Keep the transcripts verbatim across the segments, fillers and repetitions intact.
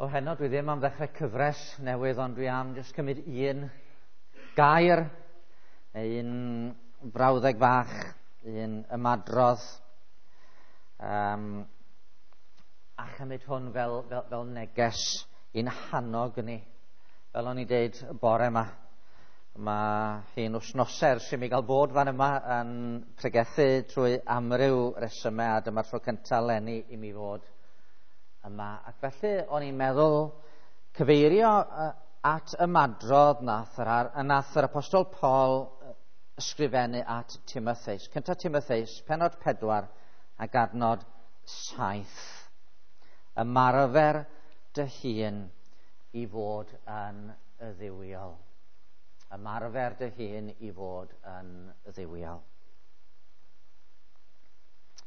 O heno dwi ddim am ddechrau cyfres newydd, ond dwi am jyst cymryd un gair, neu un brawddeg fach, un ymadrodd, um, a chymryd hwn fel, fel, fel neges i'n hannog ni. Fel o'n i'n deud y bore yma, mae hi'n wythnosau ers i mi gael bod fan yma yn pregethu trwy amryw resymau, a dyma'r tro cyntaf leni i mi fod yma. Ac felly o'n i'n meddwl cyfeirio at ymadrodd nath yr, nath yr Apostol Paul ysgrifennu at Timotheus. Cyntaf Timotheus, pennod pedwar ac adnod saith. Ymarfer dy hun i fod yn dduwiol. Ymarfer dy hun i fod yn dduwiol.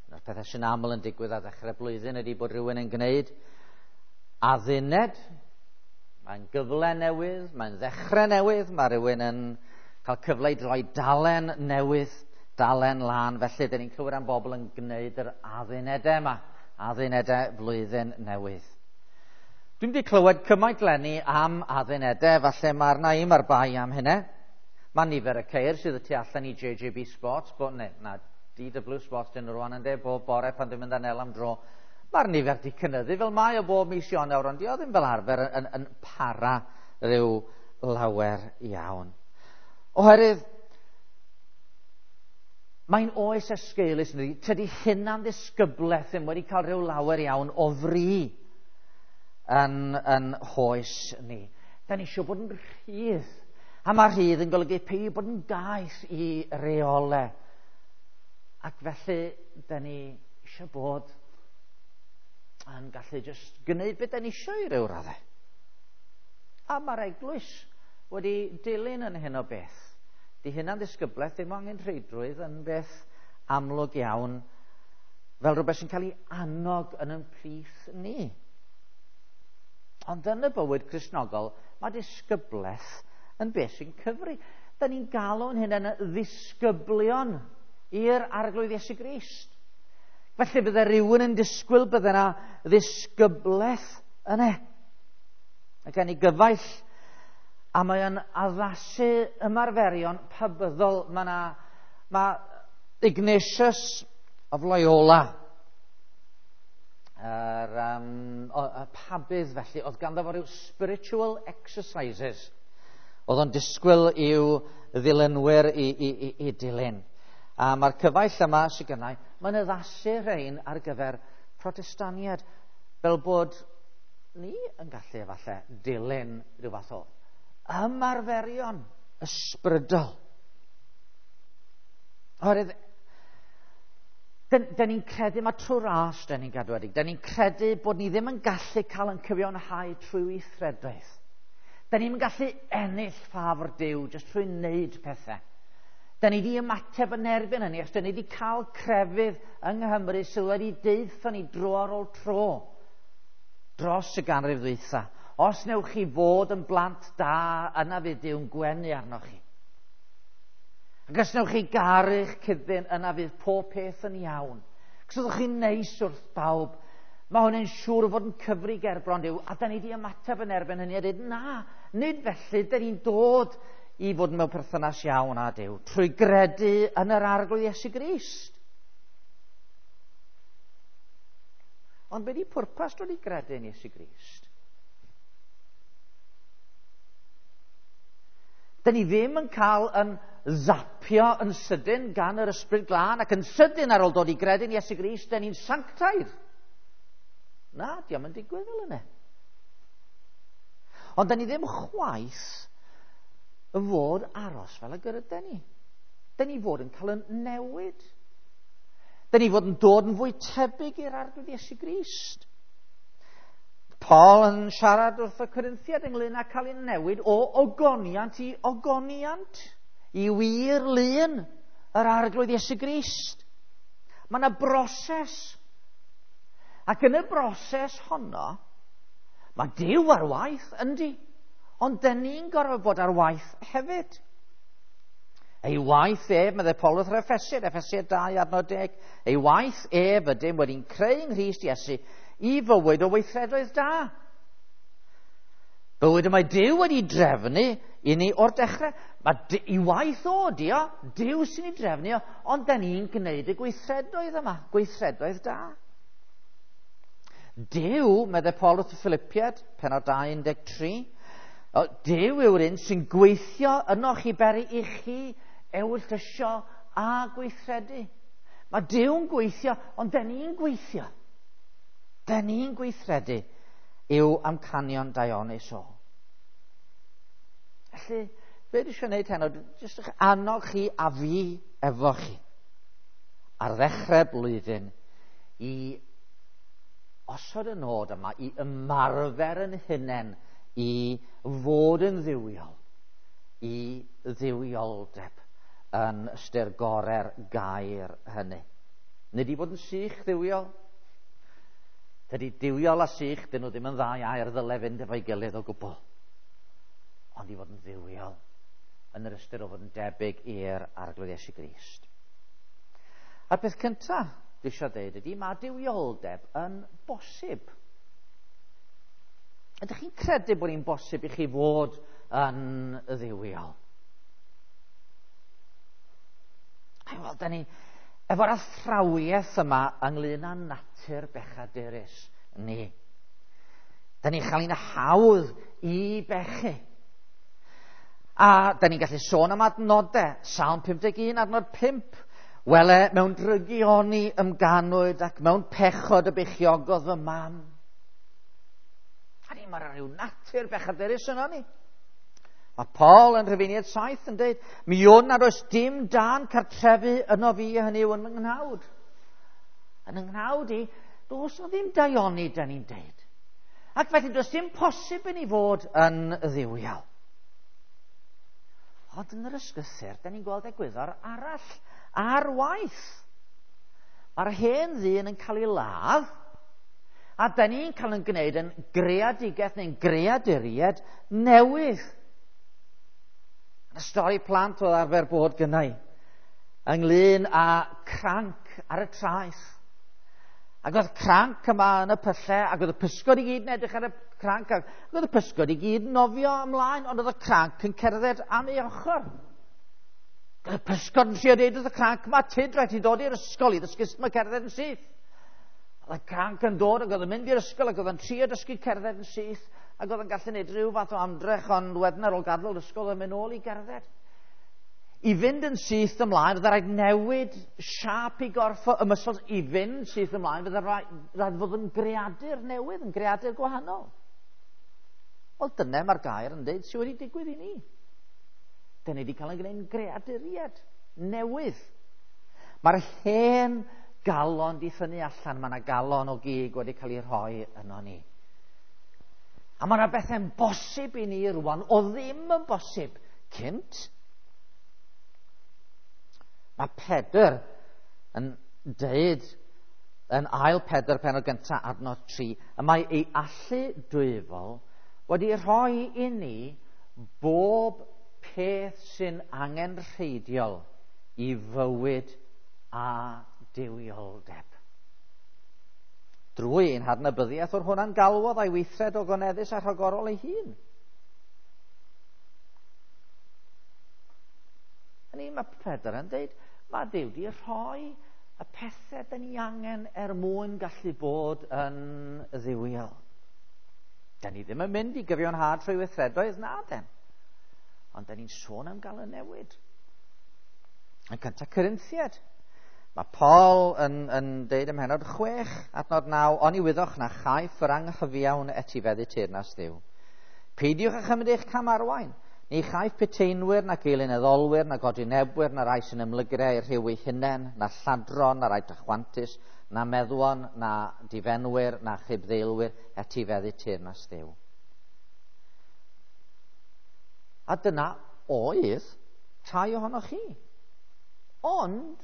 Un o'r pethau sy'n aml yn digwydd ar ddechrau blwyddyn ydy bod rhywun yn gwneud adduned. Mae'n gyfle newydd, mae'n ddechrau newydd, mae rhywun yn cael cyfle i droi dalen newydd, dalen lân. Felly, dyn ni'n clywed am bobl yn gwneud yr addunedau yma, addunedau blwyddyn newydd. Dwi'm wedi clywed cymaint leni am addunedau, falle mae'r naim a'r bai am hynny. Mae nifer y ceir sydd y tu allan i J J B Sports, bod, ne, na, D W Sports dyn nhw rwan yn de, bob bore pan dwi'n mynd â Nel am dro. Mae'r nifer di cynyddu fel mae o bob mis Ionawr, ond di o ddim fel arfer yn, yn, yn para rhyw lawer iawn. Oherwydd, mae'n oes esgeulus yn dydi, tydi hunan ddisgyblaeth ddim wedi cael rhyw lawer iawn o fri yn, yn hoes ni. Da ni eisiau bod yn rhydd. A mae rhydd yn golygu peidio bod yn gaeth i reolau. Ac felly, da ni eisiau bod yn gallu jyst gwneud beth da ni eisiau i ryw raddau. A mae'r eglwys wedi dilyn yn hyn o beth. Di hynna'n ddisgyblaeth ddim angen rheidrwydd yn beth amlwg iawn, fel rhywbeth sy'n cael ei annog yn ein plith ni. Ond yn y bywyd Cristnogol, mae disgyblaeth yn beth sy'n cyfri. Da ni'n galw'n hyn yn ddisgyblion i'r Arglwydd Iesu Grist. Felly bydde rhywun yn disgwyl bydde yna ddisgyblaeth yna. Ac gen i gyfaill, a mae o'n addasu ymarferion pabyddol. Mae yna, mae Ignatius of Loyola, yr, um, o, y pabydd felly, oedd ganddo fo ryw spiritual exercises. Oedd o'n disgwyl i'w ddilynwyr i, i, i, i dilyn. A mae'r cyfaill yma sydd gennau, mae'n addasu rhain ar gyfer Protestaniaid, fel bod ni yn gallu efallai dilyn rhyw fath o ymarferion ysbrydol. Oherwydd, dyn, dyn ni'n credu, mae trwy ras dyn ni'n gadwedig, dyn ni'n credu bod ni ddim yn gallu cael yn cyfiawnhau trwy weithredoedd. Dyn ni'n gallu ennill ffafr Duw jyst trwy wneud pethau. Da ni wedi ymateb yn erbyn hynny, achos da ni wedi cael crefydd yng Nghymru sydd wedi deutha ni dro ar ôl tro dros y ganrif ddwytha. Os newch chi fod yn blant da, yna fydd Duw'n gwenu arnoch chi. Ac os newch chi garu'ch cyd-ddyn, yna fydd pob peth yn iawn. Ac os ydych chi'n neis wrth bawb, mae hwn yn siŵr o fod yn cyfri gerbron Duw, a da ni wedi ymateb yn erbyn hynny a dweud, na, nid felly, da ni'n dod i fod mewn perthynas iawn â Duw, trwy gredu yn yr Arglwydd Iesu Grist. Ond be di pwrpas dod i gredu yn Iesu Grist? Da ni ddim yn cael yn zapio yn sydyn gan yr Ysbryd Glân, ac yn sydyn ar ôl dod i gredu yn Iesu Grist, da ni'n sanctaidd. Na, diom yn digwydd fel yna. Ond da ni ddim chwaith y fod aros fel y gyda ni. Da ni fod yn cael yn newid. Da ni fod yn dod yn fwy tebyg i'r Arglwydd Iesu Grist. Paul yn siarad wrth y Corinthiaid ynglyn â cael ei newid o ogoniant i ogoniant, i wir lun yr Arglwydd Iesu Grist. Mae yna broses. Ac yn y broses honno, mae Duw ar waith, yndi? Ond dyn ni'n gorfod bod ar waith hefyd. Ei waith ef, meddai Paul wrth yr Effesiaid, Effesiaid dau adnod deg, ei waith ef ydym wedi'n creu yng Nghrist Iesu i fywyd o weithredoedd da. Bywyd y mae Duw wedi drefnu i ni o'r dechrau. Mae i waith o, dio, Duw sy'n ei drefnu o, ond da ni'n gwneud y gweithredoedd yma, gweithredoedd da. Duw, meddai Paul wrth y Philippiaid, pennod dau un deg tri, Duw yw'r un sy'n gweithio ynoch i beri i chi ewyllysio a gweithredu. Mae Duw'n gweithio, ond da ni'n gweithio. Da ni'n gweithredu yw amcanion daionus o. Felly, be dwi eisiau gwneud heno, jyst eich annog chi a fi efo chi ar ddechrau blwyddyn i osod y nod yma, i ymarfer yn hunain, i fod yn dduwiol, i dduwioldeb yn ystyr gorau'r gair hynny. Nid i fod yn sych dduwiol. Dydy duwiol a sych, dyn nhw ddim yn ddau air ddyle fynd efo'i gilydd o gwbl. Ond i fod yn dduwiol, yn yr ystyr o fod yn debyg i'r Arglwydd Iesu Grist. A'r peth cyntaf dwi eisiau dweud ydy, mae duwioldeb yn bosib. Ydych chi'n credu bod hi'n bosib i chi fod yn dduwiol? Wel, da ni efo'r athrawiaeth yma ynglyn â natur bechadurus ni. Da ni'n cael ein hawdd i bechu. A da ni'n gallu sôn am adnodau, Salm pum deg un, adnod pump. Wele, mewn drygioni ymganwyd ac mewn pechod y beichiogodd fy mam. A ni, mae'r rhyw natur bechadurus yno ni. Mae Paul yn Rhufeiniaid saith yn dweud, mi wn nad oes dim dan cartrefu yno fi, hynny yw yn fy nghnawd. Yn yng nghnawd i, does o ddim daioni, da ni'n deud. Ac felly does dim posib i ni fod yn dduwiol. Ond yn yr ysgrythur, da ni'n gweld egwyddor arall ar waith. Mae'r hen ddyn yn cael ei ladd, a da ni'n cael yn gwneud yn greadigaeth neu'n greaduriaid newydd. Y stori plant oedd arfer bod gynnau ynglyn â cranc ar y traeth. Ac oedd cranc yma yn y pyllau, ac oedd y pysgod i gyd yn edrych ar y cranc, ac oedd y pysgod i gyd yn nofio ymlaen, ond oedd y cranc yn cerdded am ei ochr. Oedd y pysgod yn trio deud wrth y cranc, mae tyd rhaid i dod i'r ysgol i ddysgu sut mae cerdded yn syth. Oedd y cranc yn dod ac oedd yn mynd i'r ysgol ac oedd yn trio dysgu cerdded yn syth, ac oedd yn gallu gwneud rhyw fath o amdrech, ond wedyn ar ôl gadael yr ysgol oedd yn mynd nôl i gerdded. I fynd yn syth ymlaen, fydde rhaid newid siâp i gorff o ymysgol. I fynd syth ymlaen, fydde rhaid, rhaid fod yn greadur newydd, yn greadur gwahanol. Wel, dyna mae'r gair yn dweud sydd wedi digwydd i ni. Dyna ni wedi cael ein gwneud yn greaduriaid newydd. Mae'r hen galon di thynnu allan, mae yna galon o gig wedi cael ei rhoi yno ni. A mae yna bethau'n bosib i ni rwan, o ddim yn bosib cynt. Mae Pedr yn deud yn ail Pedr pennod gyntaf adnod tri, y mae ei allu dwyfol wedi rhoi i ni bob peth sy'n angenrheidiol i fywyd a duwioldeb. Drwy ein hadnabyddiaeth o'r hwnna'n galwodd a'i weithred o goneddus a rhagorol ei hun. Hynny, mae Pedr yn dweud, mae Duw wedi rhoi y pethau da ni angen er mwyn gallu bod yn dduwiol. Da ni ddim yn mynd i gyfiawnhad trwy weithredoedd, na den. Ond da ni'n sôn am gael y newid. Yn cyntaf Corinthiaid, mae Paul yn, yn deud ym mhennod chwech, adnod naw, oni wyddoch na chaiff yr anghyfiawn etifeddu teyrnas Dduw. Peidiwch â chymryd eich cam arwain. Ni chaiff peteinwyr, na geilyneddolwyr, na godinebwyr, na rai sy'n ymlygrau i'r rhyw eu hunain, na lladron, na rai dychwantus, na meddwon, na difenwyr, na chibddeilwyr etifeddu teyrnas Dduw. A dyna oedd rhai ohonoch chi. Ond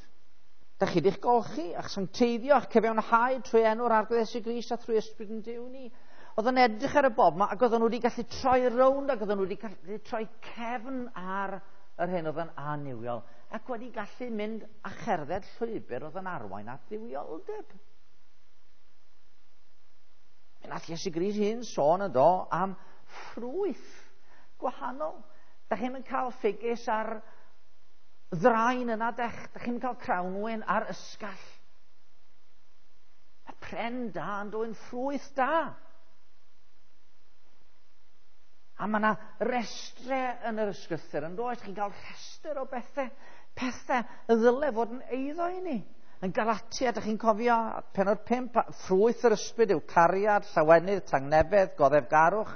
da chi wedi'ch golchi, a'ch sancteiddio, a'ch cyfiawnhau trwy enw'r Arglwydd Iesu Grist a thrwy ysbryd yn Duw ni. Oedd yn edrych ar y bob yma, ac oedden nhw wedi gallu troi rownd, ac oedden nhw wedi gallu troi cefn ar yr hyn oedd yn annuwiol, ac wedi gallu mynd a cherdded llwybr oedd yn arwain at dduwioldeb. Mi nath Iesu Grist hun sôn yn do am ffrwyth gwahanol. Da chi'n mynd cael ffigys ar ddraen yna, dech. Da chi'n cael crawnwyn ar ysgall. Mae pren da yn dwyn ffrwyth da. A mae yna restre yn yr ysgrythur yn does? Chi'n cael rhestr o bethau, pethau y ddyle fod yn eiddo i ni. Yn Galatia, ydych chi'n cofio, pennod pump, ffrwyth yr ysbryd yw cariad, llawenydd, tangnefedd, goddefgarwch,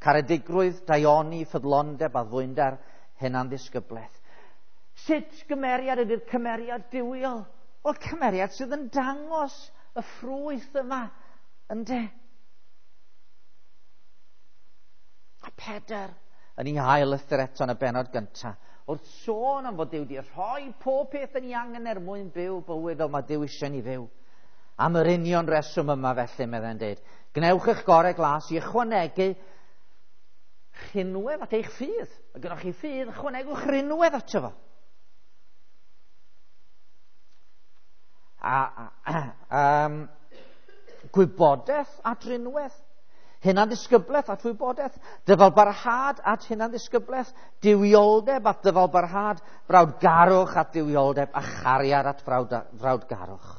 caredigrwydd, daioni, ffyddlondeb, addfwynder, hunanddisgyblaeth. Sut gymeriad ydy'r cymeriad duwiol? Wel, cymeriad sydd yn dangos y ffrwyth yma, ynde? A Pedr, yn ei ail lythyr eto yn y bennod gyntaf, wrth sôn am fod Duw wedi rhoi pob peth yn ei angen er mwyn byw bywyd fel mae Duw eisiau ni fyw. Am yr union reswm yma felly, meddai'n dweud, gwnewch eich gorau glas i ychwanegu rhinwedd at eich ffydd. Mae gennych chi ffydd, ychwanegwch rhinwedd ato fo. A, a, um, gwybodaeth at rinwedd. Hunanddisgyblaeth at wybodaeth, dyfalbarhad at hunanddisgyblaeth, duwioldeb at dyfalbarhad, brawdgarwch at duwioldeb a chariad at frawd, frawdgarwch.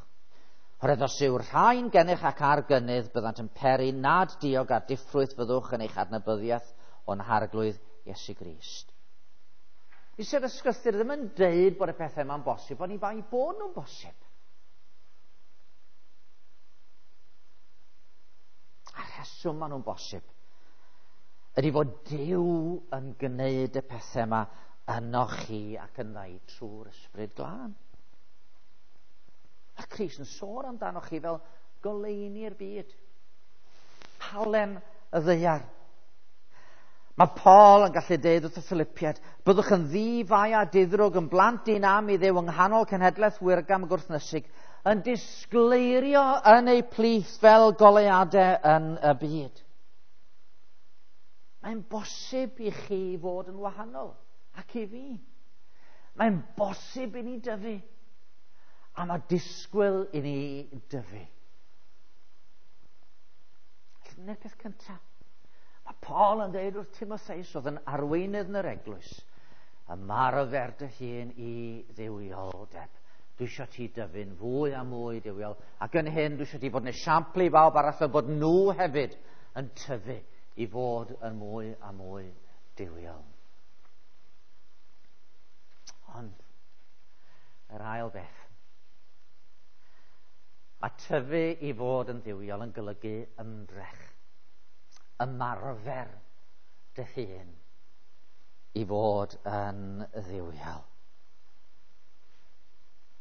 Oherwydd os yw'r rhain gennych ac ar gynnydd, byddant yn peri nad diog a diffrwyth fyddwch yn eich adnabyddiaeth o'n Harglwydd Iesu Grist. Dydy'r ysgrythur ddim yn deud bod y pethau yma'n bosib, ond i bai bod nhw'n bosib. A rheswm maen nhw'n bosib ydy fod Duw yn gwneud y pethau yma ynoch chi ac yndda i trwy'r Ysbryd Glân. A Crist yn sôn amdanoch chi fel goleuni'r byd, halen y ddaear. Mae Paul yn gallu deud wrth y Philippiaid, byddwch yn ddi-fai a diddrwg yn blant dyn am i Dduw yng nghanol cenhedlaeth wirgam gwrthnysig, yn disgleirio yn eu plith fel goleuadau yn y byd. Mae'n bosib i chi fod yn wahanol, ac i fi. Mae'n bosib i ni dyfu, a mae disgwyl i ni dyfu. Dyna'r peth cyntaf. Mae Paul yn dweud wrth Timotheus, oedd yn arweinydd yn yr eglwys, ymarfer dy hun i dduwioldeb. Dwi eisiau ti dyfu'n fwy a mwy duwiol. Ac yn hyn, dwi eisiau ti fod yn esiampl i bawb arall fel bod nhw hefyd yn tyfu i fod yn mwy a mwy duwiol. Ond, yr ail beth. Mae tyfu i fod yn dduwiol yn golygu ymdrech. Ymarfer dy hun i fod yn dduwiol.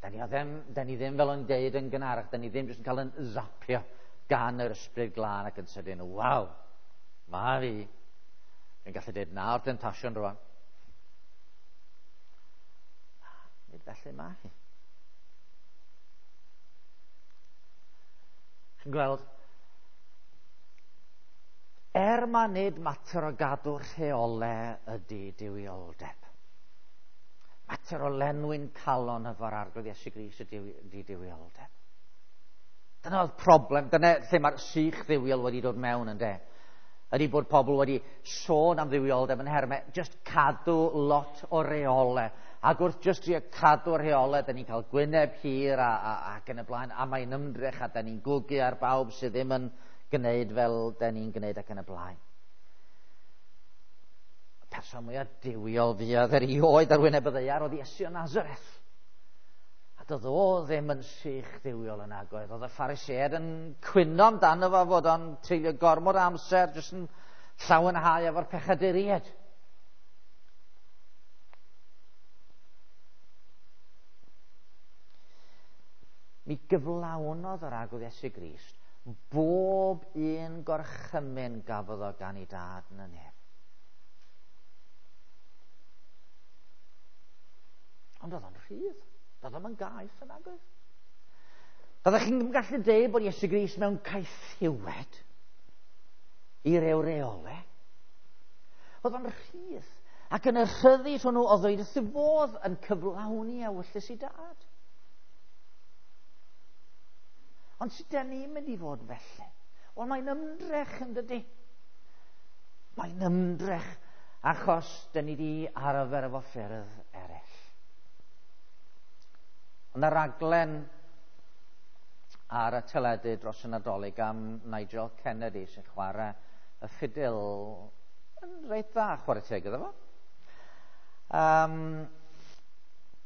Da ni ddim, da ni ddim fel o'n deud yn gynharach, da ni ddim jyst yn cael yn zapio gan yr Ysbryd Glân ac yn sydyn, waw, mae fi. Dwi'n gallu deud na o'r demtasiwn rwan. Nid felly mae hi. Chi'n gweld, er ma nid mater o gadw rheolau ydy duwioldeb. Mater o lenwi'n calon efo'r Arglwydd Iesu Grist ydy duwioldeb. Dyna oedd problem, dyna lle mae'r sych dduwiol wedi dod mewn ynde. Ydy bod pobl wedi sôn am dduwioldeb yn hermau, just cadw lot o reolau. Ac wrth just trio cadw rheolau, da ni'n cael gwyneb hir a, a, ac yn y blaen, a mae'n ymdrech a da ni'n gwgu ar bawb sydd ddim yn gwneud fel da ni'n gwneud ac yn y blaen. Y person mwyaf duwiol fuodd erioed ar wyneb y ddaear oedd Iesu o Nazareth. A doedd o ddim yn sych dduwiol yn agoedd. Oedd y Phariseaid yn cwyno amdano fo fod o'n treulio gormod o amser jyst yn llawenhau efo'r pechaduriaid. Mi gyflawnodd yr Arglwydd Iesu Grist bob un gorchymyn gafodd o gan ei dad yn y nef. Ond oedd o'n rhydd. Doedd o'm yn gaeth yn agoedd. Byddech chi'n gallu deud bod Iesu Grist mewn caethiwed i ryw reolau. Oedd o'n rhydd. Ac yn y rhyddid hwnnw oedd o'i wrth ei fodd yn cyflawni ewyllys ei dad. Ond sut dan ni'n mynd i fod felly? Wel, mae'n ymdrech yn dydy. Mae'n ymdrech achos dyn ni wedi arfer efo ffyrdd eraill. Ond y raglen ar y teledu dros y Nadolig am Nigel Kennedy sy'n chwarae y ffidil yn reit dda, chwarae teg iddo fo. Um,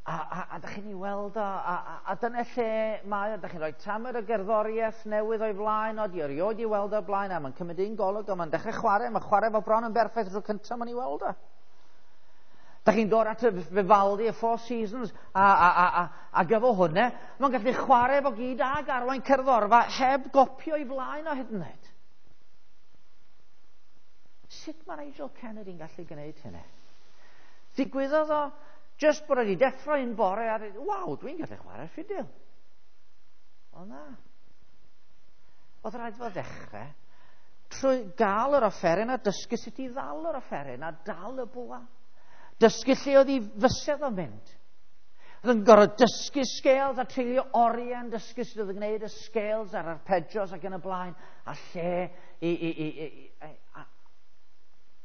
a, a, a dych chi'n ei weld o, a, a, a dyna lle mae o, dych chi'n rhoi tamed o gerddoriaeth newydd o'i flaen o, di erioed i weld o blaen, a mae'n cymryd un golwg, a mae'n dechrau chwarae, mae'n chwarae fo bron yn berffaith tro cyntaf mae'n ei weld o. Dych chi'n dod at y Vivaldi, y Four Seasons, a, a, a, a, a gyfo hwnna, mae'n gallu chwarae fo gyd ag arwain cerddorfa heb gopio i flaen o hyd yn oed. Sut mae Nigel Kennedy'n gallu gwneud hynny? Ddigwyddodd o just bod wedi deffro un bore a dweud, waw, dwi'n gallu chwarae ffidil. O na. Oedd rhaid fo ddechrau trwy gael yr offeryn a dysgu sut i ddal yr offeryn a dal y bwa. Dysgu lle oedd ei fysedd o'n mynd. Oedd yn gorfod dysgu scales a treulio oriau yn dysgu sut oedd yn gwneud y scales a'r arpeggios ac yn y blaen, a lle i, i, i, i, i,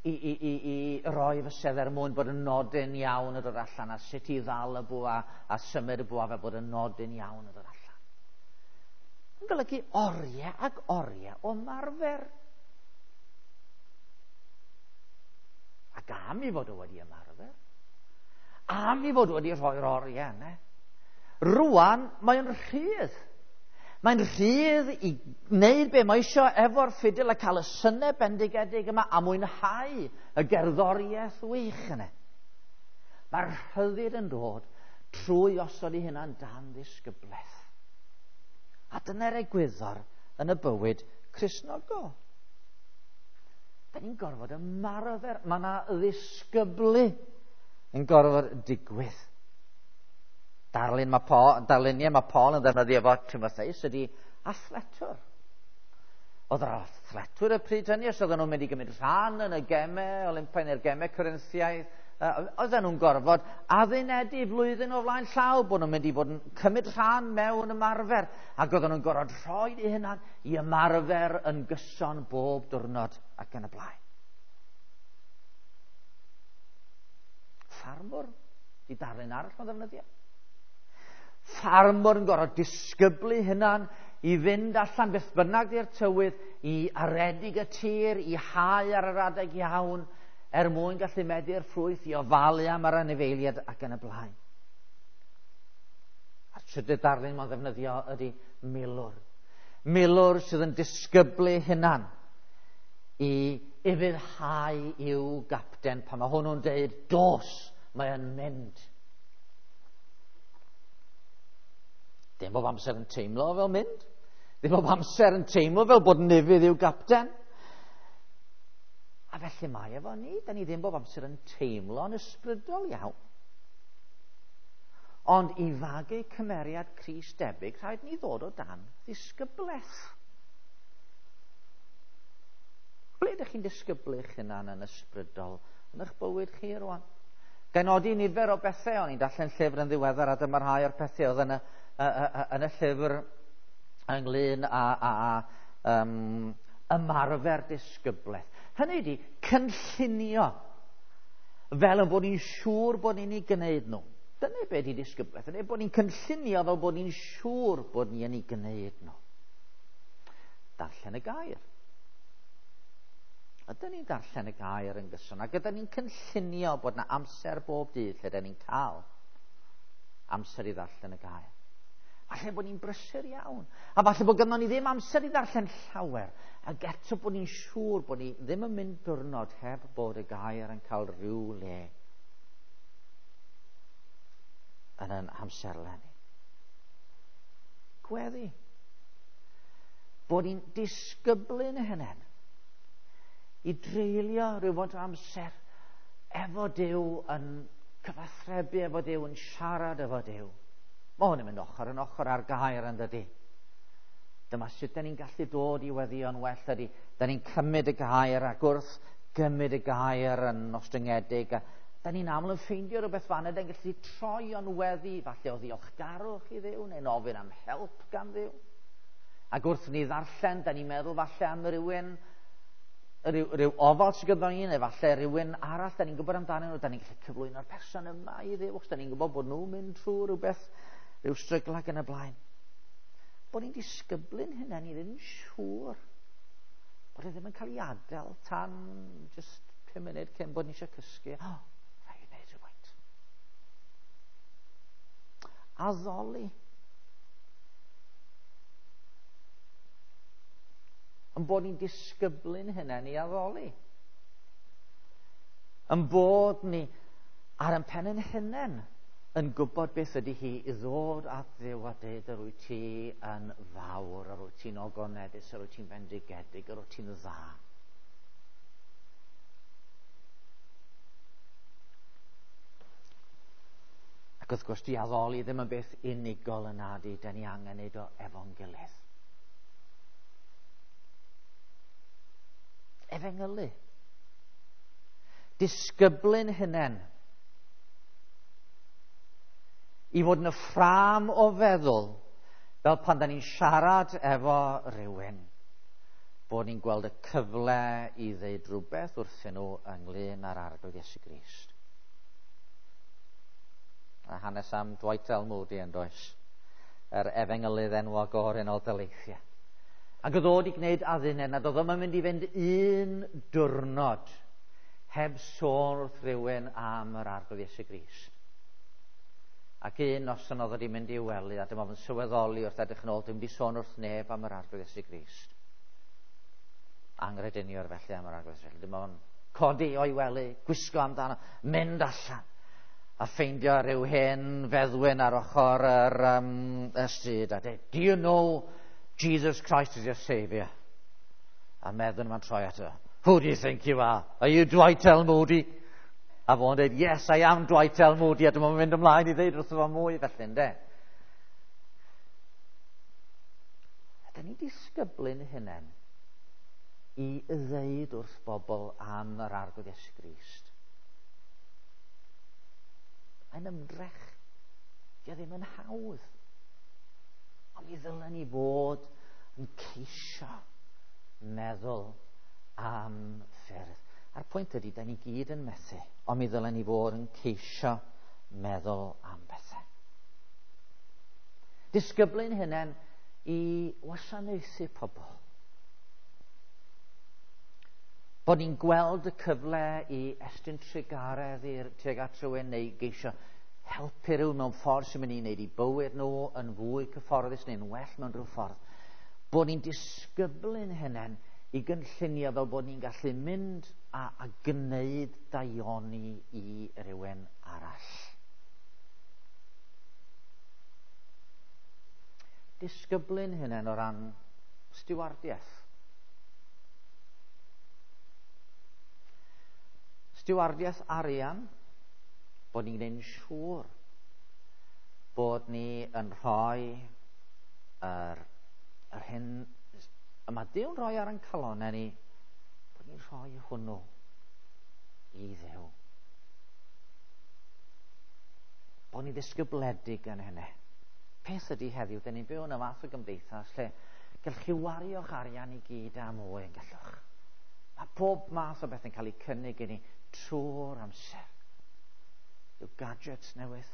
i, i, i, i roi fysedd er mwyn bod y nodyn iawn yn dod allan, a sut i ddal y bwa a symud y bwa fel bod y nodyn iawn yn dod allan. Yn golygu oriau ac oriau o ymarfer. Ac am i fod o wedi ymarfer, am i fod wedi rhoi'r oriau yna, rwan mae'n rhydd. Mae'n rhydd i wneud be mae eisiau efo'r ffidil a cael y synnau bendigedig yma a mwynhau y gerddoriaeth wych yna. Mae'r rhyddid yn dod trwy osod ei hunan dan ddisgyblaeth. A dyna'r egwyddor yn y bywyd Cristnogol. Da ni'n gorfod ymarfer, mae yna ddisgyblu yn gorfod digwydd. Darlun mae Paul, darluniau mae Paul yn ddefnyddio efo Timotheus ydy athletwr. Oedd yr athletwyr y pryd hynny, os oedden nhw'n mynd i gymryd rhan yn y gemau Olympaidd neu'r gemau Corinthiaidd, oedden nhw'n gorfod addunedi flwyddyn o flaen llaw bod nhw'n mynd i fod yn cymryd rhan mewn ymarfer, ac oedden nhw'n gorfod rhoi eu hunan i ymarfer yn gyson bob diwrnod ac yn y blaen. Ffarmwr, di darlun arall mae'n ddefnyddio. Ffarmwr yn gorfod disgyblu hunan i fynd allan beth bynnag di'r tywydd, i aredig y tir, i hau ar yr adeg iawn, er mwyn gallu medi'r ffrwyth, i ofalu am yr anifeiliaid ac yn y blaen. A'r trydydd darlun mae'n ddefnyddio ydy milwr. Milwr sydd yn disgyblu hunan i ufuddhau i'w gapten pan mae hwnnw'n deud, dos, mae yn mynd. Dim bob amser yn teimlo fel mynd. Ddim bob amser yn teimlo fel bod yn ufudd i'w gapten. A felly mae efo ni, da ni ddim bob amser yn teimlo'n ysbrydol iawn. Ond i fagu cymeriad Crist debyg, rhaid ni ddod o dan ddisgyblaeth. Ble ydych chi'n disgyblu eich hunan yn ysbrydol yn eich bywyd chi rwan? Gan nodi nifer o bethau, o'n i'n darllen llyfr yn ddiweddar, a dyma rhai o'r pethau oedd yn y, y, y, yn y llyfr ynglyn â, â, â um, ymarfer disgyblaeth. Hynny ydi, cynllunio fel yn bod ni'n siŵr bod ni'n ei gwneud nhw. Dyna be ydi disgyblaeth, ydy bod ni'n cynllunio fel bod ni'n siŵr bod ni'n ei gwneud nhw. Darllen y gair. Ydyn ni'n darllen y gair yn gyson, ac ydyn ni'n cynllunio bod yna amser bob dydd lle ydyn ni'n cael amser i ddarllen y gair. Falle bod ni'n brysur iawn, a falle bod gynnon ni ddim amser i ddarllen llawer, ac eto bod ni'n siŵr bod ni ddim yn mynd diwrnod heb bod y gair yn cael rhyw le yn ein hamserlen ni. Gweddi. Bod ni'n disgyblu'n hunain i dreulio rhywfaint o amser efo Duw, yn cyfathrebu efo Duw, yn siarad efo Duw. Mae hwn yn mynd ochr yn ochr â'r gair yn dydi. Dyma sut da ni'n gallu dod i weddïo'n well ydy. Da ni'n cymryd y gair ac wrth gymryd y gair yn ostyngedig, a da ni'n aml yn ffeindio rhywbeth fan yna, da ni'n gallu troi o'n weddi, falle o ddiolchgarwch i Dduw, neu'n ofyn am help gan Dduw. Ac wrth ni ddarllen, da ni'n meddwl falle am rywun Rhyw, rhyw ofal sydd gyda ni, neu falle rhywun arall, da ni'n gwybod amdanyn nhw, da ni'n gallu cyflwyno'r person yma i Dduw, achos da ni'n gwybod bod nhw'n mynd trwy rhywbeth, rhyw strygl ac yn y blaen. Bod ni'n disgyblu'n hynna, ni ddim yn siŵr bod e ddim yn cael ei adael tan just pum munud cyn bod ni eisiau cysgu. Oh, rhaid i wneud rhywfaint. Addoli. Yn bod ni'n disgyblu'n hunain i addoli. Yn bod ni ar ein pen ein hunain yn gwybod beth ydy hi i ddod at Dduw a deud yr wyt ti yn fawr, yr wyt ti'n ogoneddus, yr wyt ti'n fendigedig, yr wyt ti'n dda. Ac wrth gwrs, di addoli ddim yn beth unigol yna di, da ni angen neud o efo'n gilydd. Efengylu. Disgyblu'n hunain i fod yn y ffrâm o feddwl fel pan da ni'n siarad efo rhywun bod ni'n gweld y cyfle i ddeud rhywbeth wrthyn nhw ynglyn â'r Arglwydd Iesu Grist. A hanes am Dwight L. Moody yn does, yr efengylydd enwog o'r Unol Daleithiau. Ac oedd o wedi gwneud adduned nad oedd o'm yn mynd i fynd un diwrnod heb sôn wrth rhywun am yr Arglwydd Iesu Grist. Ac un noson oedd wedi mynd i'w wely, a dyma fo'n sylweddoli wrth edrych yn ôl, dwi'n mynd i sôn wrth neb am yr Arglwydd Iesu Grist. Angrediniwr felly am yr Arglwydd Iesu Grist. Dyma fo'n codi o'i wely, gwisgo amdano, mynd allan, a ffeindio rhyw hen feddwyn ar ochr yr, um, y stryd, a dweud, "Do you know Jesus Christ is your Saviour?" A meddwyn yma'n troi ato, "Who do you think you are? Are you Dwight L. Moody?" A fo'n dweud, "Yes, I am Dwight L. Moody." A dyma fo'n mynd ymlaen i ddeud wrtho fo mwy felly, ynde? A da ni'n disgyblu'n hunain i ddeud wrth bobl am yr Arglwydd Iesu Grist. Mae'n ymdrech. Dio ddim yn hawdd. Ond mi ddylen ni fod yn ceisio meddwl am ffyrdd. A'r pwynt ydy, da ni gyd yn methu, ond mi ddylen ni fod yn ceisio meddwl am bethau. Disgyblu'n hunain i wasanaethu pobl. Bod ni'n gweld y cyfle i estyn trugaredd i'r tuag at rhywun neu geisio helpu rhywun mewn ffordd sy'n mynd i wneud i bywyd nhw yn fwy cyfforddus neu'n well mewn rhyw ffordd. Bod ni'n disgyblu'n hunain i gynllunio fel bod ni'n gallu mynd a, a gwneud daioni i rywun arall. Disgyblu'n hunain o ran stiwardiaeth. Stiwardiaeth arian, bod ni'n gwneud yn siŵr bod ni yn rhoi yr, yr hyn y mae Duw'n rhoi ar ein calonnau ni, bod ni'n rhoi hwnnw i Dduw. Bod ni'n ddisgybledig yn hynny. Peth ydy heddiw, dyn ni'n byw yn y fath o gymdeithas lle gallwch chi wario'ch arian i gyd a mwy yn gallwch. Mae pob math o beth yn cael ei cynnig i ni trwy'r amser. Yw gadgets newydd,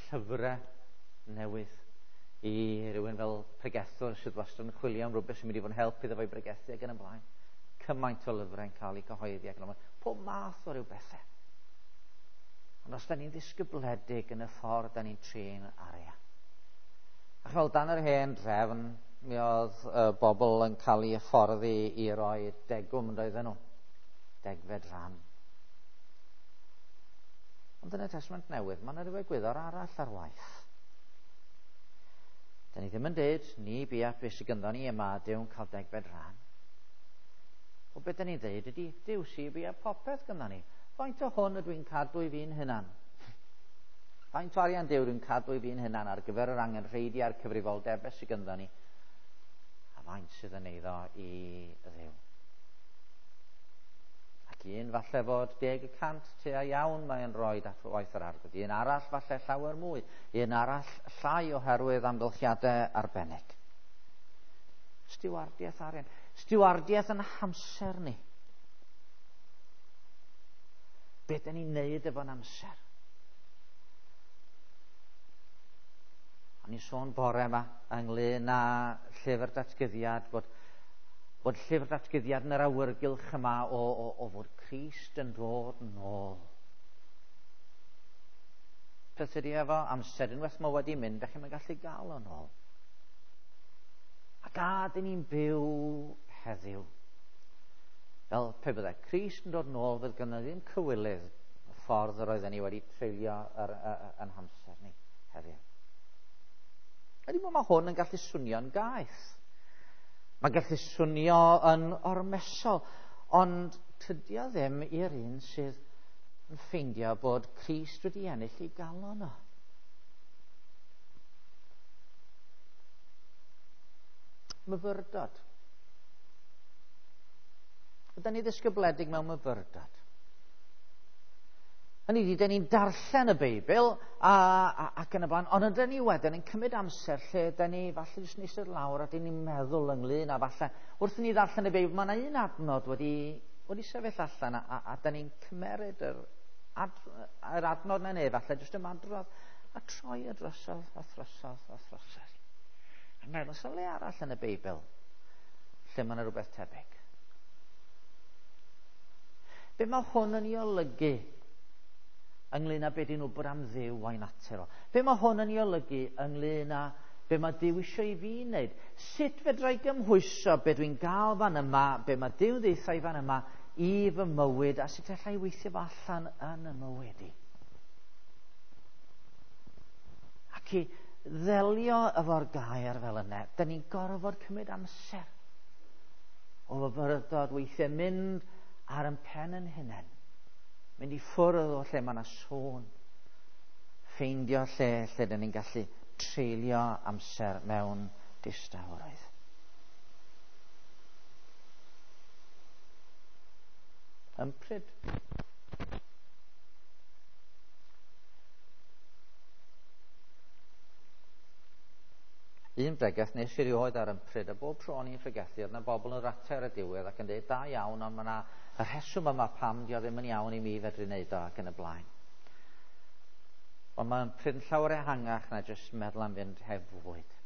llyfrau newydd, i rywun fel pregethwr sydd wastad yn chwilio am rhywbeth sy'n mynd i fod yn help iddo fo'i bregethu ac yn y blaen. Cymaint o lyfrau'n cael eu cyhoeddi ac yn y blaen. Pob math o ryw bethau. Ond os da ni'n ddisgybledig yn y ffordd da ni'n trin arian. A fel dan yr hen drefn, mi oedd y bobl yn cael eu hyfforddi i roi degwm yn doedden nhw. Degfed rhan. Ond yn y Testament Newydd, mae yna ryw egwyddor arall ar waith. Da ni ddim yn dweud, ni bia beth sydd gynddon ni yma, Duw'n cael degfed rhan. O beth da ni'n dweud ydy, Duw sydd bia popeth gynddon ni. Faint o hwn ydw i'n cadw i fi'n hunan? Faint o arian Duw dwi'n cadw i fi'n hunan ar gyfer yr angenrheidiau a'r cyfrifoldebau sydd gynddon ni? A faint sydd yn eiddo i Dduw? Ac un falle fod deg y cant tua iawn mae'n rhoi at waith yr Arglwydd. Un arall falle llawer mwy. Un arall llai oherwydd amgylchiadau arbennig. Stiwardiaeth arian. Stiwardiaeth yn hamser ni. Be dyn ni'n neud efo'n amser? O'n i'n sôn bore yma ynglyn â llyfr datguddiad, bod, bod llyfr datguddiad yn yr awyrgylch yma o, o, o fod Crist yn dod yn ôl. Peth ydy efo amser, unwaith mae wedi mynd, da chi'n gallu gael o'n ôl. Ac a dyn ni'n byw heddiw. Fel pe byddai Crist yn dod yn ôl, fydd gynno ddim cywilydd y ffordd yr oedden ni wedi treulio yr, yr, yn hamser ni heddiw. Ydy mae hwn yn gallu swnio'n gaeth. Mae'n gallu swnio yn ormesol, ond tydi o ddim i'r un sydd yn ffeindio bod Crist wedi ennill ei galon o. Myfyrdod. Ydan ni ddisgybledig mewn myfyrdod? Hynny ydi, dyn ni'n darllen y Beibl a, a, ac yn y blaen, ond ydyn ni wedyn yn cymryd amser lle dyn ni falle jyst yn eistedd lawr a dyn ni'n meddwl ynglyn â falle wrth i ni ddarllen y Beibl, mae yna un adnod wedi, wedi sefyll allan a, a, a dyn ni'n cymeryd yr, ad, yr adnod na neu falle jyst ymadrodd a troi y drosodd a throsodd a throsodd. A meddwl, oes 'na le arall yn y Beibl lle mae yna rhywbeth tebyg? Be mae hwn yn ei olygu ynglyn â be dyn nhw'n bod am Dduw a'i natur o? Be mae hwn yn ei olygu ynglyn â be mae Duw eisiau i fi wneud? Sut fedra i gymhwyso be dwi'n gael fan yma, be mae Duw ddeutha i fan yma i fy mywyd, a sut alla i weithio fo allan yn y mywyd i? Ac i ddelio efo'r gair fel yna, dyn ni'n gorfod cymryd amser o fyfyrdod, weithiau mynd ar yn pen yn hunain, mynd i ffwrdd o lle mae yna sôn, ffeindio lle lle dyn ni'n gallu treulio amser mewn distawrwydd. Ympryd. Un bregeth nes i rioed ar ympryd, a bob tro o'n i'n pregethu, oedd yna bobl yn ratio ar y diwedd ac yn dweud, da iawn, ond mae yna y rheswm yma pam di o ddim yn iawn i mi fedru wneud o ac yn y blaen. Ond mae ympryd yn llawer ehangach na jyst meddwl am fynd heb fwyd.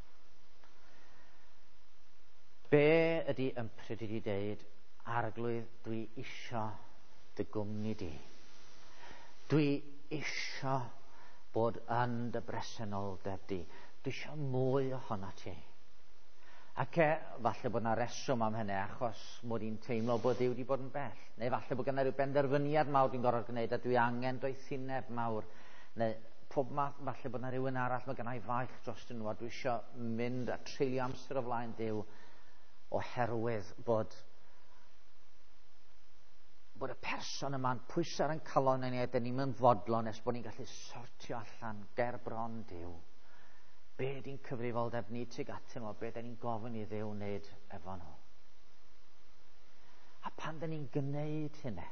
Be ydy ympryd i deud, Arglwydd, dwi isio dy gwmni di. Dwi isio bod yn dy bresenoldeb di. Dwi isio mwy ohono ti. Ac e, falle bod yna reswm am hynny, achos mod i'n teimlo bod Duw wedi bod yn bell. Neu falle bod gynna rhyw benderfyniad mawr dwi'n gorfod gwneud a dwi angen doethineb mawr. Neu pob math, falle bod yna rhywun arall, mae gynna i faich dros nhw a dwi isio mynd a treulio amser o flaen Duw oherwydd bod bod y person yma'n pwyso ar ein calon ni a dyn ni'n mynd fodlon nes bod ni'n gallu sortio allan ger bron Duw. Be ydy'n cyfrifoldeb ni tuag atyn nhw, be dyn ni'n gofyn i Dduw wneud efo nhw. A pan dyn ni'n gwneud hynny,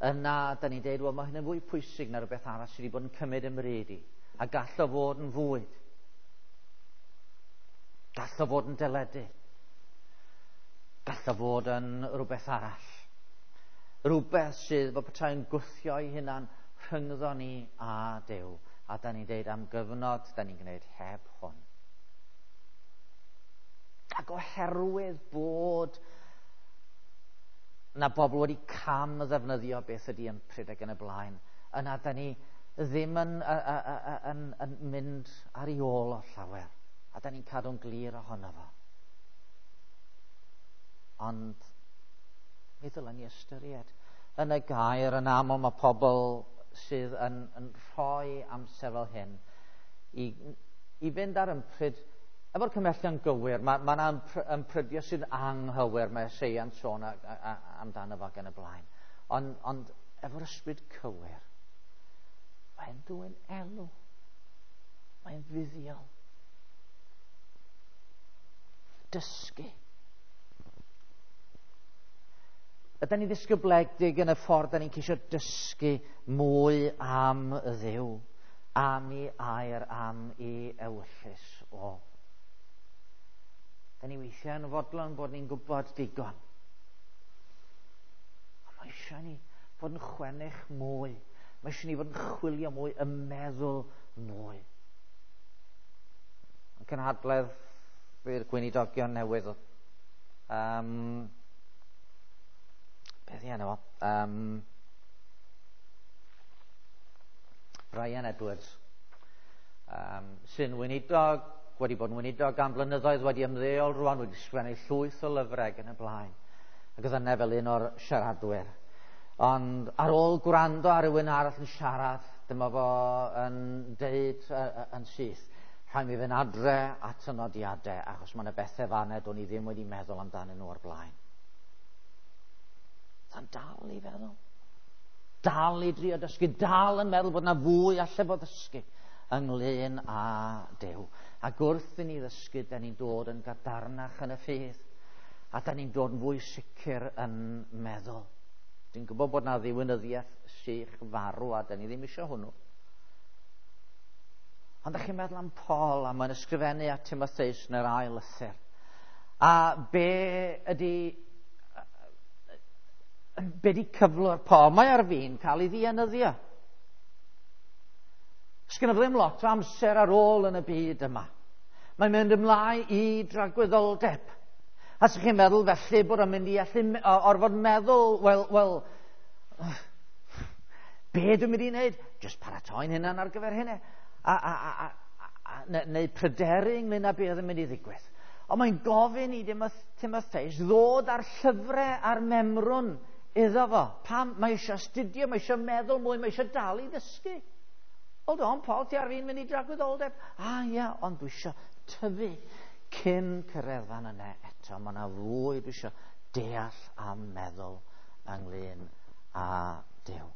yna dyn ni'n deud, wel, mae hynny'n fwy pwysig na rhywbeth arall sydd wedi bod yn cymryd ym mryd i. A gall o fod yn fwyd. Gall o fod yn deledu. Gall o fod yn rhywbeth arall. Rhywbeth sydd fel petai'n gwthio ei hunan rhyngddo ni a Duw. A da ni'n deud am gyfnod, da ni'n gwneud heb hwn. Ac oherwydd bod na bobl wedi cam ddefnyddio beth ydy ympryd ac yn y blaen, yna da ni ddim yn, yn, yn mynd ar ei ôl o llawer. A da ni'n cadw'n glir ohono fo. Ond mi ddylen ni ystyried. Yn y gair yn aml mae pobl sydd yn, yn rhoi amser fel hyn i, i fynd ar ympryd efo'r cymhellion gywir. Mae ma yna ymprydio sydd anghywir, mae Eseia'n sôn a, a, a, amdano fo ac yn y blaen. Ond, ond efo'r ysbryd cywir, mae'n dwyn elw, mae'n fuddiol. Dysgu. Ydan ni ddisgybledig yn y ffordd da ni'n ceisio dysgu mwy am y Dduw, am ei air, am ei ewyllys o. Da ni weithiau yn fodlon bod ni'n gwybod digon. Ond mae eisiau ni fod yn chwennych mwy. Mae eisiau ni fod yn chwilio mwy, yn meddwl mwy. Yn cynhadledd i'r gweinidogion newydd. Um, beth i enw? Um, Brian Edwards. Um, sy'n weinidog, wedi bod yn weinidog am blynyddoedd, wedi ymddeol rwan, wedi sgwennu llwyth o lyfrau yn y blaen. Ac oedd yna fel un o'r siaradwyr. Ond ar ôl gwrando ar rywun arall yn siarad, dyma fo yn deud yn syth, rhaid mi fynd adre at y nodiadau, achos mae yna bethau fan'na do'n i ddim wedi meddwl amdanyn nhw o'r blaen. Sa'n dal i feddwl. Dal i drio dysgu, dal yn meddwl bod yna fwy alle fod ddysgu ynglyn â Duw. Ac wrth i ni ddysgu, da ni'n dod yn gadarnach yn y ffydd, a da ni'n dod yn fwy sicr yn meddwl. Dwi'n gwybod bod na ddiwinyddiaeth sych farw, a da ni ddim eisiau hwnnw. Ond da chi'n meddwl am Paul, a mae'n ysgrifennu at Timotheus yn yr ail lythyr. A be ydy, be ydy cyflwr Paul? Mae ar fin cael ei ddienyddio. Sgynno fo ddim lot o amser ar ôl yn y byd yma. Mae'n mynd ymlaen i dragwyddoldeb. A sa'ch chi'n meddwl felly bod o'n mynd i allu orfod meddwl, wel, wel, be dwi'n mynd i wneud? Just paratoi'n hunan ar gyfer hynny. A, a, a, a, a, neu pryderu ynglyn â be oedd yn mynd i ddigwydd. Ond mae'n gofyn i Timotheus ddod â'r llyfrau a'r memrwn iddo fo. Pam? Mae eisiau astudio, mae eisiau meddwl mwy, mae eisiau dal i ddysgu. Hold on, Paul, ti ar fin mynd i dragwyddoldeb. Ah, ia, ond dwi eisiau tyfu cyn cyrraedd fan yna eto. Mae yna fwy dwi eisiau deall a meddwl ynglyn â Duw.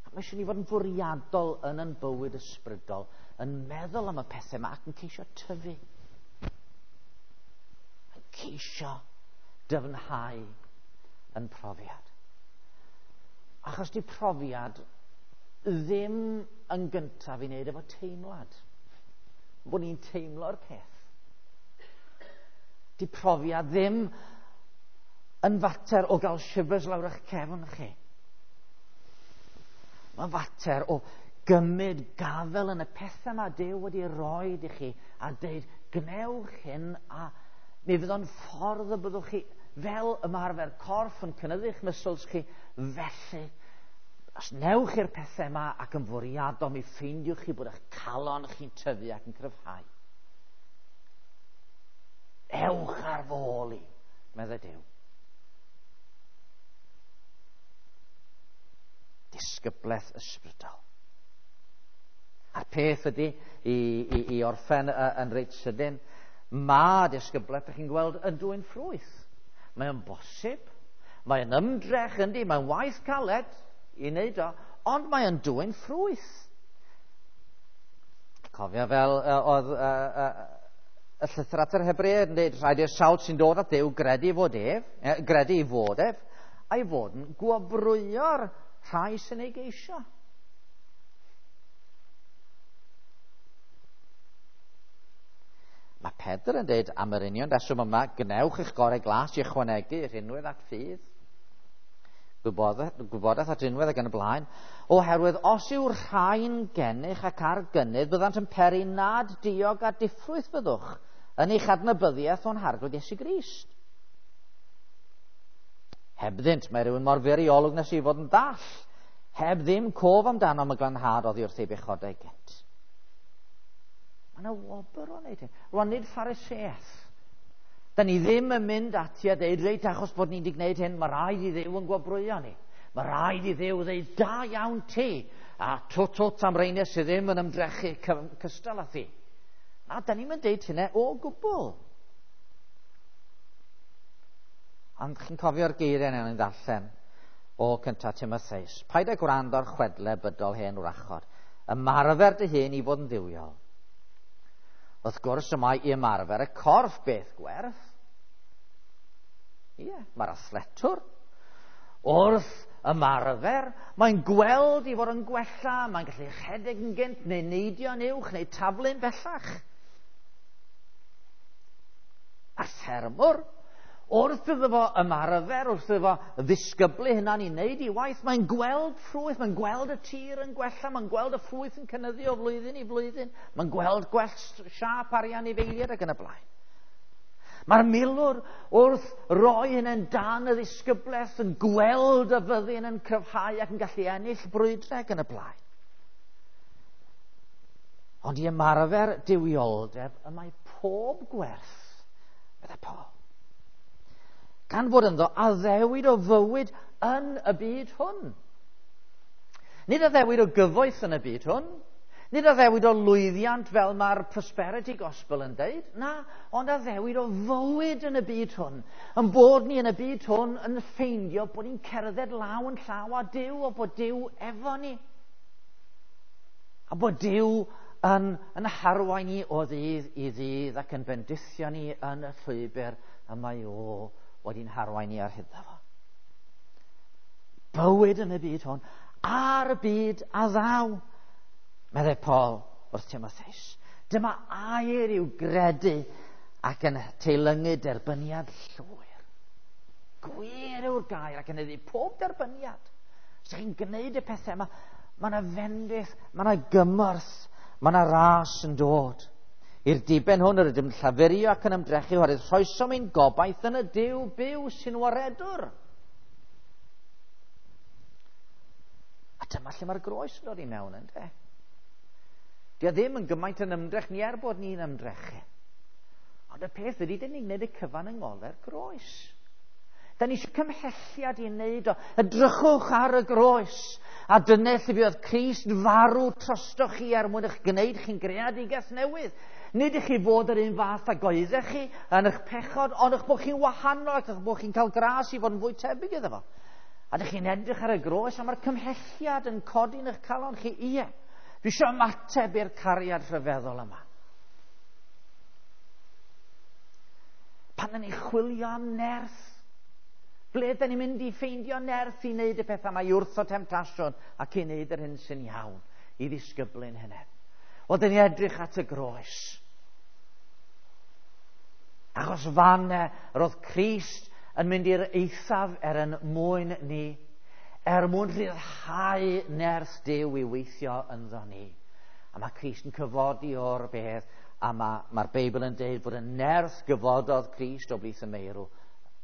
Mae eisiau ni fod yn fwriadol yn yn bywyd ysbrydol, yn meddwl am y pethau yma ac yn ceisio tyfu. Yn ceisio dyfnhau yn profiad. Achos di profiad ddim yn gyntaf i wneud efo teimlad. Bod ni'n teimlo'r peth. Di profiad ddim yn fater o gael shivers lawr eich cefn chi. Mae'n fater o gymryd gafel yn y pethau mae Duw wedi roed i chi a deud, gwnewch hyn a mi fydd o'n ffordd y byddwch chi fel ymarfer corff yn cynyddu'ch muscles chi, felly os newch i'r pethau yma ac yn fwriadol, mi ffeindiwch chi bod eich calon chi'n tyfu ac yn cryfhau. Ewch ar fy ôl i, meddai Duw. Disgyblaeth ysbrydol. A'r peth ydy, i, i, i orffen yn reit sydyn, mae disgyblaeth, ydych chi'n gweld, yn dwyn ffrwyth. Mae'n bosib, mae'n ymdrech yndi, mae'n waith caled i wneud o, ond mae'n dwyn ffrwyth. Cofio fel uh, oedd uh, uh, y llythyr at yr Hebreaid yn dweud, rhaid i'r sawl sy'n dod at Dduw gredu fod ef, eh, gredu i fod ef, a'i fod yn gwobrwyo'r rhai sy'n ei geisio. Mae Pedr yn dweud am yr union reswm yma, gwnewch eich gorau glas i ychwanegu rhinwedd at ffydd, gwybodaeth, gwybodaeth at rinwedd ac yn y blaen, oherwydd os yw'r rhain gennych ac ar gynnydd, byddant yn peri nad diog a diffrwyth fyddwch yn eich adnabyddiaeth o'n Harglwydd Iesu Grist. Hebddynt, mae rhywun mor fyr i olwg nes i fod yn dall, heb ddim cof amdano am y glanhad oddi wrth ei bechodau gynt. Mae yna wobr o wneud hyn. Rwan, nid Phariseaeth. Da ni ddim yn mynd ati a deud, reit, achos bod ni'n di gwneud hyn, mae rhaid i Dduw yn gwobrwyo ni. Mae rhaid i Dduw ddeud, da iawn ti, a twt twt am reiniau sydd ddim yn ymdrechu cystal â thi. Na, da ni'n mynd deud hynny o gwbl. Ond chi'n cofio'r geiriau yna yn ddarllen o cyntaf Timotheus. Paid â gwrando ar chwedle bydol hen wrachod. Ymarfer dy hun i fod yn dduwiol. Wrth gwrs, y mae i ymarfer y corff beth gwerth. Ie, mae'r athletwr wrth ymarfer, mae'n gweld i fod yn gwella, mae'n gallu rhedeg yn gynt, neu neidio'n uwch, neu taflu'n bellach. ffermwr, wrth iddo fo ymarfer, wrth iddo fo ddisgyblu hynna'n i wneud i waith, mae'n gweld ffrwyth, mae'n gweld y tir yn gwella, mae'n gweld y ffrwyth yn cynyddu o flwyddyn i flwyddyn, mae'n gweld gwell siâp ar ei anifeiliaid ac yn y blaen. Mae'r milwr wrth roi hynny'n dan y ddisgyblaeth yn gweld y fyddin yn cryfhau ac yn gallu ennill brwydrau ac yn y blaen. Ond i ymarfer duwioldeb y mae pob gwerth, meddai Paul. Gan fod ynddo addewid o fywyd yn y byd hwn. Nid addewid o gyfoeth yn y byd hwn. Nid addewid o lwyddiant fel mae'r prosperity gospel yn deud. Na, ond addewid o fywyd yn y byd hwn. Yn bod ni yn y byd hwn yn ffeindio bod ni'n cerdded law yn llaw â Duw, o bod Duw efo ni. A bod Duw yn, yn harwain ni o ddydd i ddydd ac yn bendithio ni yn y llwybr y mae o wedi'n harwain ni ar hyd fo. Bywyd yn y byd hwn, a'r byd a ddaw, meddai Paul wrth Timotheus. Dyma air i'w gredu ac yn teilyngu derbyniad llwyr. Gwir yw'r gair ac yn eddu pob derbyniad. Os ydych chi'n gwneud y pethau yma, mae yna fendith, mae yna gymorth, mae yna ras yn dod. I'r diben hwn yr ydym yn llafurio ac yn ymdrechu oherwydd rhoesom ein gobaith yn y Duw byw sy'n waredwr. A dyma lle mae'r groes yn dod i mewn, ynde? Dio ddim yn gymaint yn ymdrech ni er bod ni'n ymdrechu. Ond y peth ydy, dyn ni'n gwneud y cyfan yng ngole'r groes. Da ni eisiau cymhelliad i wneud o. Edrychwch ar y groes. A dyna lle fuodd Crist farw trostoch chi er mwyn eich gwneud chi'n greadigaeth newydd. Nid i chi fod yr un fath ag oeddech chi yn eich pechod, ond eich bod chi'n wahanol ac eich bod chi'n cael gras i fod yn fwy tebyg iddo fo. A dych chi'n edrych ar y groes a mae'r cymhelliad yn codi yn eich calon chi. Ie, dwi eisiau ymateb i'r cariad rhyfeddol yma. Pan ydyn ni'n chwilio am nerth, ble ydyn ni'n mynd i ffeindio nerth i wneud y pethau yma, i wrtho temtasiwn ac i wneud yr hyn sy'n iawn, i ddisgyblu'n hynny? Wel, dyn ni edrych at y groes. Achos fan roedd Crist yn mynd i'r eithaf er yn mwyn ni, er mwyn rhyddhau nerth Duw i weithio ynddo ni. A mae Crist yn cyfodi o'r bedd, a mae'r ma Beibl yn deud bod y nerth gyfododd Crist o blith y meirw,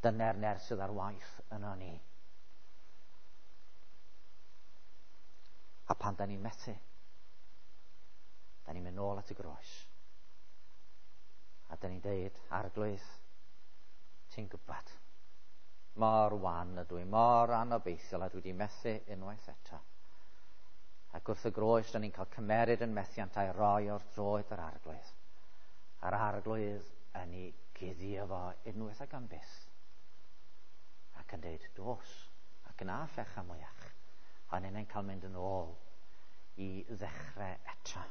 dyna'r nerth sydd ar waith yno ni. A pan da ni'n methu, da ni'n mynd nôl at y groes. A da ni'n deud, Arglwydd, ti'n gwybod, mor wan ydw i, mor anobeithiol a dwi wedi methu unwaith eto. Ac wrth y groes, da ni'n cael cymeryd yn methiant a'i roi o'r droed yr Arglwydd. A'r Arglwydd yn ei guddio fo unwaith ac am byth. Ac yn deud, dos, ac yn a phecha mwyach. A ni'n cael mynd yn ôl i ddechrau eto.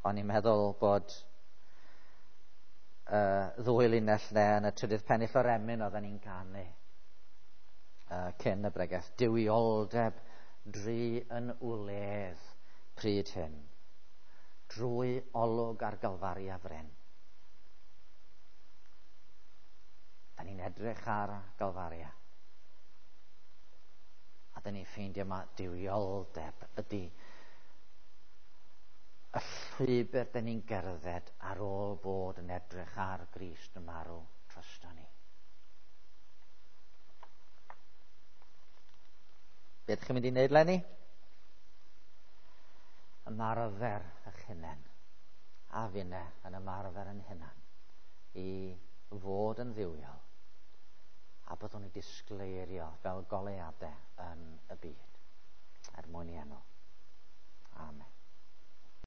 O'n i'n meddwl bod uh, ddwy linell ne yn y trydydd pennill o'r emyn oedden ni'n canu uh, cyn y bregeth. Duwioldeb dri yn wledd pryd hyn, drwy olwg ar Galfaria fryn. Da ni'n edrych ar Galfaria. A da ni'n ffeindio ma duwioldeb ydy y llwybr da ni'n gerdded ar ôl bod yn edrych ar Grist yn marw drosto ni. Be ydych chi'n mynd i wneud, Lenny? Ymarfer eich hunain, a finne yn ymarfer yn hunan, i fod yn dduwiol, a byddwn ni disgleirio fel goleuadau yn y byd, er mwyn i enw. Amen.